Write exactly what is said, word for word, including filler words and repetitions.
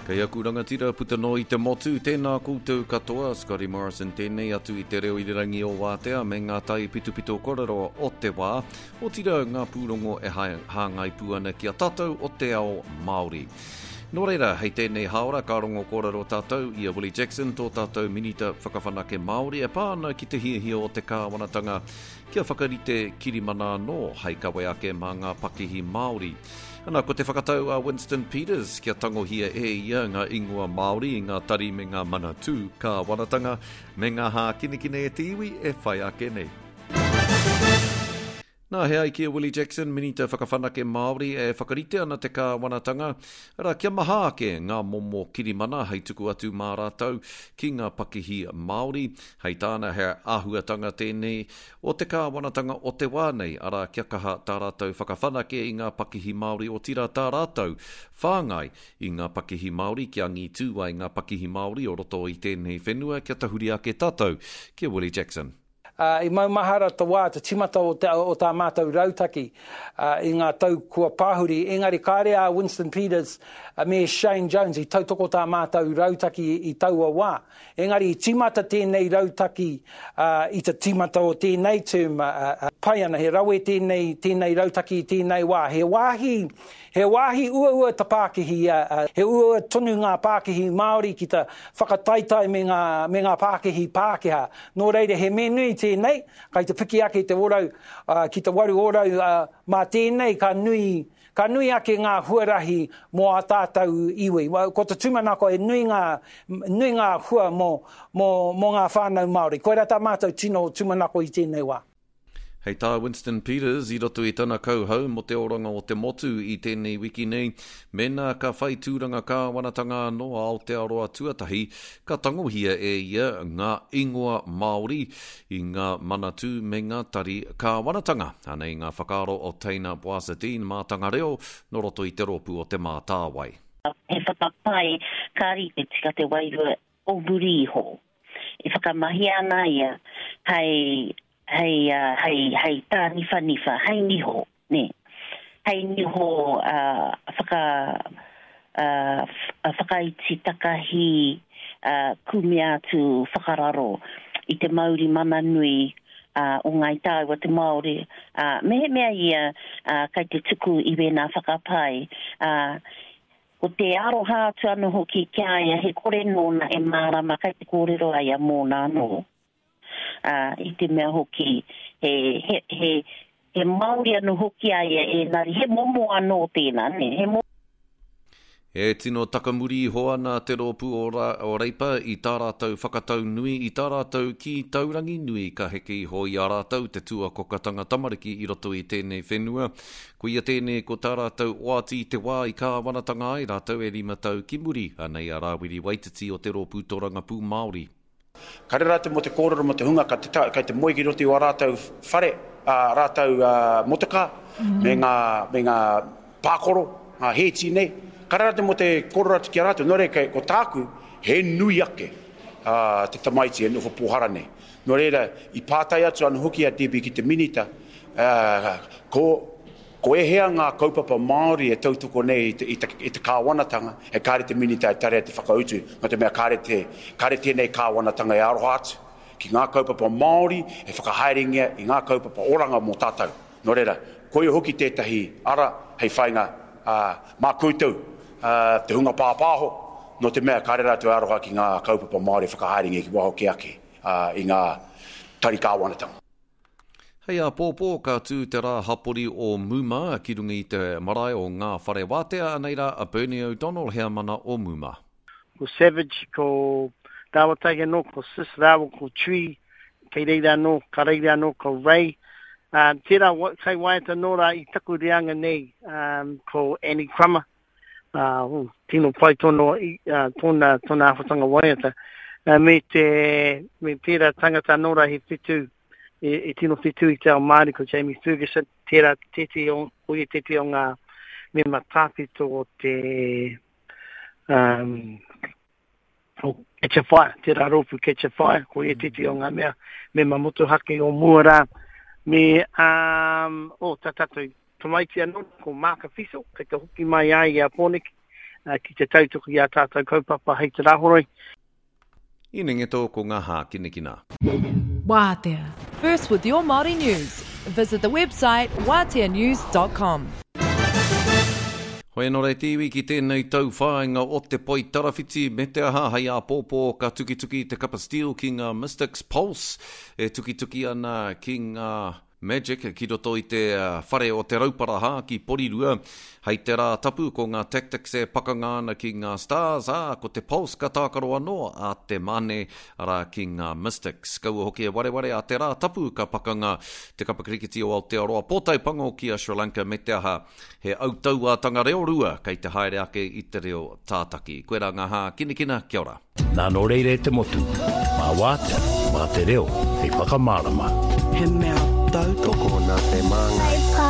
Kei aku rangatira puta noa i te motu, tēnā koutou katoa, Scotty Morrison tēnei atu i te reo irirangi o Wātea me ngā tai pitopito korero o te wā, otirā ngā pūrongo e hāngai pū ana ki a tātou o te ao Māori. Nō reira, hei tēnei hāora ka rongo kōrero tātou i a Willie Jackson, tō tātou Minita Whakawhanake Māori e pā ana ki te hiahia o te kāwanatanga kia whakarite kirimana anō hei kawe ake mā ngā pakihi Māori. Ana, ko te whakatau a Winston Peters kia tangohia e ia ngā ingoa Māori i ngā tari me ngā manatū kāwanatanga me ngā hākinakina e te iwi e whai ake nei. Nā, he ai ki a Willie Jackson, Minita Whakawhanake Māori, e whakarite ana te kāwanatanga, arā, kia maha ake ngā momo kirimana hei tuku atu mā rātou ki ngā pakihi Māori. Hei tāna he āhuatanga tēnei o te kāwanatanga o te wā nei, arā, kia kaha tā rātou whakawhanake i ngā pakihi Māori, otirā tā rātou whāngai i ngā pakihi Māori kia angitū ai ngā pakihi Māori o roto i tēnei whenua kia tahuri ake tātou ki a Willie Jackson. Uh, i maumahara te wā, te timata o, te, o tā mātou rautaki uh, i ngā tau kua pahuri, engari kāre a Winston Peters uh, me Shane Jones i tautoko tā mātou rautaki i taua wā. Engari i timata tēnei rautaki uh, i te timata o tēnei term, uh, uh, pai ana, he rawe tēnei, tēnei rautaki i tēnei wā. He wāhi, he wāhi uaua te pākihi, uh, he uaua tonu ngā pākihi Māori ki te whakataitai me ngā, me ngā pākihi Pākehā. Nō reira, he mea nui tēnei, kai te piki ake te orau, uh, ki te waru orau, uh, mā tēnei ka nui, ka nui ake ngā huarahi mō a tātou iwi. Ko te tūmanako e nui ngā, nui ngā hua mō, mō, mō ngā whānau Māori. Koirā tā mātou tino tūmanako i tēnei wā. Hei tā Winston Peters i roto i tana kauhau mō te oranga o te motu i tēnei wiki nei, mēnā ka whai tūranga kāwanatanga anō a Aotearoa tuatahi, ka tangohia e ia ngā ingoa Māori i ngā manatū me ngā tari kāwanatanga. Anei ngā whakaaro o Teina Boazadine mātanga reo nō roto i te rōpū o Te Mātāwai. He whakapae ka rite tika te wairua o muri iho. E whakamahia ana ia hei hei uh, hei hei tāniwhaniwha, hei niho, nē. Hei niho uh, whaka uh, whakaiti takahi uh, kumea atu whakararo i te mauri mana nui uh, o Ngāi Tāua te Māori. Uh, mehemea ia uh, kai te tuku i wēnā whakapae, uh, ko te aroha atu anō hoki ki a ia, he kore nōna e mārama kai te kōrero a ia mōna anō. Uh, i te mea hoki, he, he, he, he Māori anō hoki a ia engari, he momo anō tēnā, ne? He momo. E tino takamuri iho ana te rōpū o, Ra, o Reipa i tā rātou whakatau nui, i tā rātou ki taurangi nui ka heke iho i a rātou te tuakokatanga tamariki i roto i tēnei whenua. Koia tēnei ko tā rātou oati i te wā i kāwanatanga ai rātou e rima tau ki muri, anei a Rāwiri Waititi o te rōpū Torangapū Māori. Kare rātou mō te kōrero mō te hunga ka te, kai te moe ki roto i wā rātou whare, ā, rātou uh, motokā, mm. me ngā, me ngā pākoro, ngā hēti nei. Kare rātou mō te kōrero atu ki a rātou, nō reira, ko tāku, he nui ake uh, te tamaiti e noho pōhara nei. Nō reira, i pātai atu anō hoki a Debbie ki te minita, uh, ko, ko ehea ngā kaupapa Māori e tautoko nei i te, i te, i te kāwanatanga, e kāre te minita e tarea te whakautu, nō te mea kāre, te, kāre tēnei kāwanatanga e aroha atu ki ngā kaupapa Māori e whakahaerengia i ngā kaupapa oranga mō tātou. Nō reira, koia hoki tētahi ara hei whainga uh, mā koutou, uh, te hunga pāpāho, nō te mea kāre rātou e aroha ki ngā kaupapa Māori e whakahaerengia ki waho ke ake uh, i ngā tari kāwanatanga. Hei āpōpō ka tū te rā hapori o Muma ki runga i te marae o Ngā Whare Wātea, anei rā a Bernie O'Donnell, heamana o Muma. Ko Savage, ko Dawataki anō, ko Sis rāua, ko Tree, kei reira anō, ka reira anō, ko Ray. Uh, tērā kai waiata nō rā i taku reanga nei, um, ko Annie Crummer. Uh, oh, tino pai tōna, uh, tōna, tōna āwhatanga waiata. Uh, me, te, me tērā tangata anō rā he whitu, e, e tino whitu i te ao Māori, ko Jamie Ferguson, tērā tētehi o, ko ia tētehi o ngā mema tāwhito o te um, o Catch a Fire, tērā rōpū Catch a Fire, ko ia tētehi o ngā mea mema motuhake o mua rā. Me, um, o, tā tātou tamaiti anō, ko Māka Fiso, kei te hoki mai ai i a Pōneke, ki te tautoko i a tātou kaupapa hei te rāhoroi. I nenge tō ko ngā hākinakina. Wātea. First with your Māori news. Visit the website wātea news dot com. Hoi anō rei te iwi ki tēnei tau whāinga o te poi tarawhiti me te aha hei āpōpō ka tukituki te kapa Steel ki ngā Mystics Pulse e tukituki ana ki ngā Magic ki roto i te whare o te Rauparaha ki Porirua. Hei te rā tapu ko ngā Tactics e pakanga ana ki ngā Stars, ā, ko te Pulse ka tākaro anō a te Mane, arā ki ngā Mystics. Kaua hoki e wareware a te rā tapu ka pakanga te kapa kirikiti o Aotearoa pōtai pango ki a Sri Lanka me te aha he autauātanga reo rua kei te haere ake i te reo tātaki. Koe rā ngā hākinakina, kia ora. Nā nō reira e te motu, mā wātea, mā te reo, hei whakamārama. He mea tautoko nā te māngai.